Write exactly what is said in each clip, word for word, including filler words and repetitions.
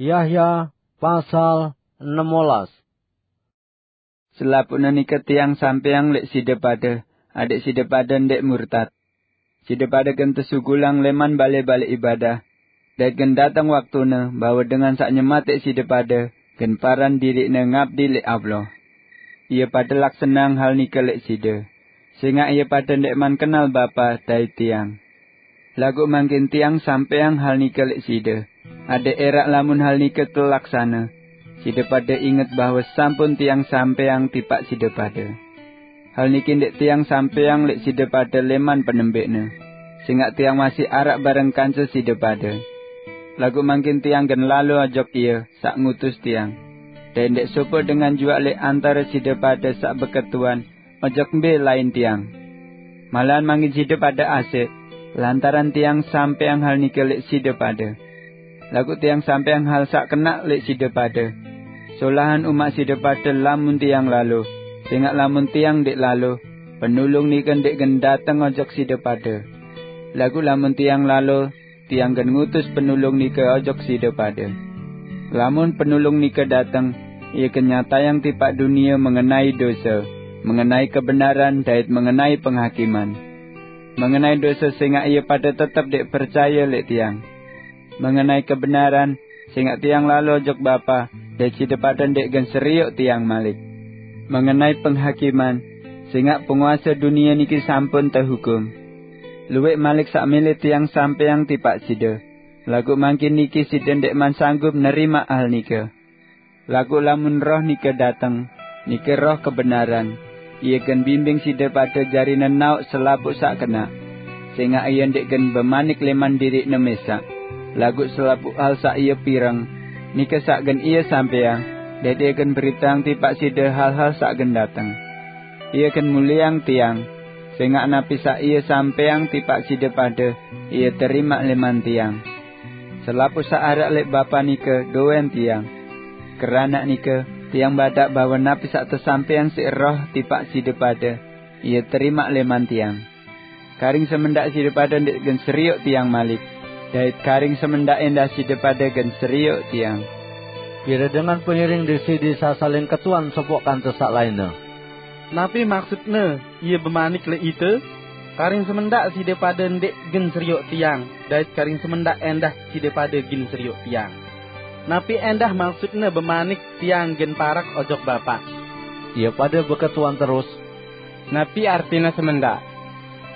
Yahya pasal enam belas. Selapuqne nike tiang sampeang leq side pade, adeq side pade ndeq murtad. Side pade gen tesugulang leman bale-bale ibadah, dait gen dateng waktune bahwe dengan saq nyemateq side pade gen paran diriqne ngabdi leq Allah. Ie pade laksaneang hal nike leq side, sengaq ie pade ndeqman kenal Bapa dait tiang. Laguq mangkin tiang sampeang hal nike leq side, adeq eraq lamun hal nike telaksane, side pade inget bahwe sampun tiang sampeang tipaq side pade. Hal niki ndeq tiang sampeang leq side pade leman penembeqne, sengaq tiang masih araq bareng kance side pade. Laguq mangkin tiang gen lalo ojok Ie saq ngutus tiang, dait ndeq sopoq dengan juaq leq antare side pade saq beketuan ojok mbe lain tiang. Malahan mangkin side pade asik, lantaran tiang sampeang hal nike leq side pade. Laguq tiang sampeang hal saq kenaq leq side pade. Solahan umaq side pade lamun tiang lalo, sengaq lamun tiang ndeq lalo, Penulung nike ndeq gen dateng ojok side pade. Laguq lamun tiang lalo, tiang gen ngutus Penulung nike ojok side pade. Lamun Penulung nike dateng, ie gen nyatayang tipaq dunie mengenai dose, mengenai kebenaran dait mengenai penghakiman. Mengenai dose sengaq ie pade tetep ndeq percaye leq tiang. Mengenai kebenaran, sengaq tiang lalo ojok Bapa, dait side pade ndeq gen serioq tiang malik. Mengenai penghakiman, sengaq penguase dunie niki sampun tehukum. Lueq malik saq mele tiang sampeang tipaq side, laguq mangkin niki side ndeqman sanggup nerimaq hal nike. Laguq lamun Roh nike dateng, nike Roh kebenaran, ie gen bimbing side pade jari nenaoq selapuq saq kenaq. Sengaq ie ndeq gen bemanik leman diriqne mesaq, laguq selapuq hal saq ie pireng, nike saq gen ie sampeang, dait ie gen beriteang tipaq side hal-hal saq gen dateng. Ie gen mulieang tiang, sengaq napi saq ie sampeang tipaq side pade, ie terimaq leman tiang. Selapuq saq araq leq Bapa nike dowen tiang. Keranaq nike, tiang badaq bahwe napi saq tesampeang siq Roh tipaq side pade, ie terimaq leman tiang. Karing semendaq side pade ndeq gen serioq tiang malik, dait karing semendaq endah side pade gen serioq tiang. Pire dengan pengiring Deside Isa saling ketuan sopoq kance saq lainne. Napi maksutne Ie bemanik leq ite? Karing semendaq side pade ndeq gen serioq tiang, dait karing semendaq endah side pade gen serioq tiang. Napi endah maksutne bemanik, "Tiang gen parak ojok Bapa"? Ie pade beketuan terus, "Napi artine semendaq?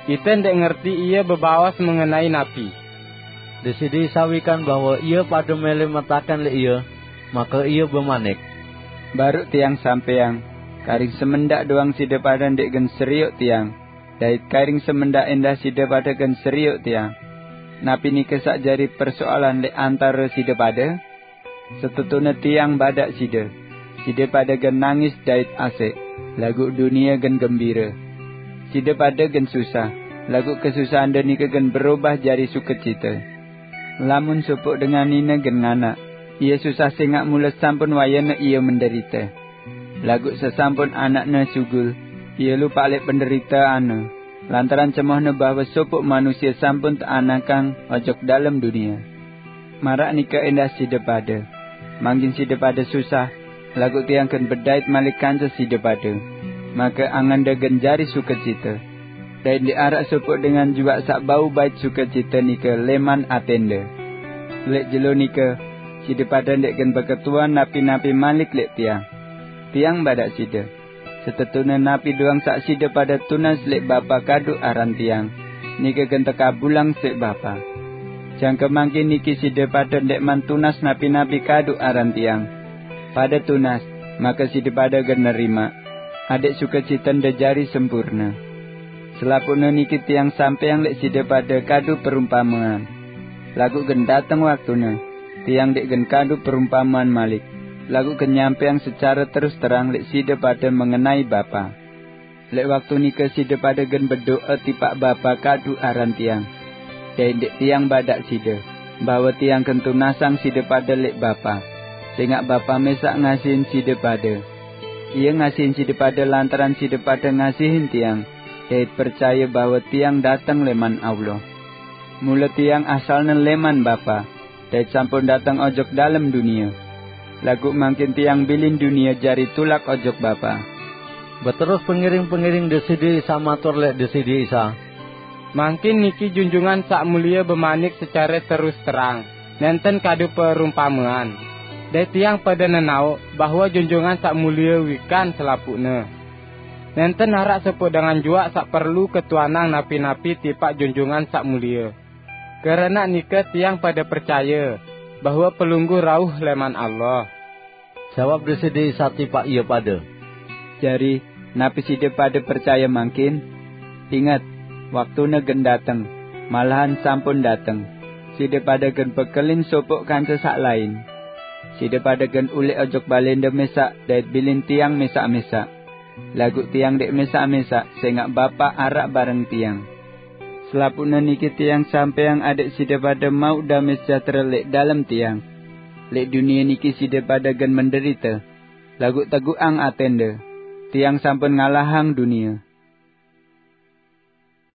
Ite ndeq ngerti ie bebaos mengenai napi." Deside Isa wikan bahwe ie pade mele metaken leq Ie, make Ie bemanik, "Baruq Tiang sampeang, karing semendaq doang side pade ndeq gen serioq Tiang, dait karing semendaq endah side pade gen serioq Tiang. Napi nike saq jari persoalan leq antare side pade? Setetune Tiang badaq side, side pade gen nangis dait asek, laguq dunie gen gembire. Side pade gen susah, laguq kesusahande nike gen berobah jari sukecite. Lamun sopoq dengan nine gen nganak, ie susah sengaq mule sampun wayene ie menderite. Laguq sesampun anakne sugul, ie lupaq leq penderiteanne, lantaran cemohne bahwe sopoq manusie sampun teanakang ojok dalem dunie. Maraq nike endah side pade. Mangkin side pade susah, laguq Tiang gen bedait malik kance side pade, make angende gen jari sukecite. Dait ndeq araq sopoq dengan juaq saq bau bait sukecite nike leman atende. Leq jelo nike, side pade ndeq gen beketuan napi-napi malik leq Tiang. Tiang badaq side, setetune napi doang saq side pade tunas leq Bapa kadu aran Tiang, nike gen tekabulang siq Bapa. Jangke mangkin niki side pade ndeqman tunas napi-napi kadu aran Tiang. Pade tunas, make side pade gen nerimaq, adeq sukecitende jari sempurne. Selapuqne niki Tiang sampeang leq side pade kadu perumpamean. Laguq gen dateng waktune, Tiang ndeq gen kadu perumpamean malik, laguq gen nyampeang secare terus terang leq side pade mengenai Bapa. Leq waktu nike side pade gen bedo'e tipaq Bapa kadu aran Tiang. Dait ndeq Tiang badaq side, bahwe Tiang gen tunasang side pade leq Bapa, sengaq Bapa mesaq ngasihin side pade. Ie ngasihin side pade lantaran side pade ngasihin Tiang, dait percaye bahwe Tiang dateng leman Allah. Mule Tiang asalne leman Bapa, dait sampun dateng ojok dalem dunia. Laguq mangkin tiang bilin dunia jari tulak ojok Bapa." Beterus pengiring-pengiring Deside Isa matur leq Deside Isa, "Mangkin niki Junjungan Saq Mulie bemanik secare terus terang, nenten kadu perumpamean. Dait tiang pade nenaoq bahwe Junjungan Saq Mulie wikan selapuqne. Nenten araq sopoq dengan juaq saq perlu ketuanang napi-napi tipaq Junjungan Saq Mulie. Keranaq nike tiang pade percaye bahwe Pelungguh rauh leman Allah." Jawab Deside Isa tipaq ie pade, "Jari, napi side pade percaye mangkin? Inget, waktune gen dateng, malahan sampun dateng. Side pade gen bekelin sopoq kance saq lain. Side pade gen uleq ojok balende mesaq dait bilin tiang mesaq-mesaq. Laguq tiang ndeq mesaq-mesaq, sengaq Bapa araq bareng tiang. Selapuqne niki tiang sampeang adaq side pade mauq dame sejahtera leq dalem tiang. Leq dunie niki side pade gen menderite, laguq teguqang atende. Tiang sampun ngalahang dunie."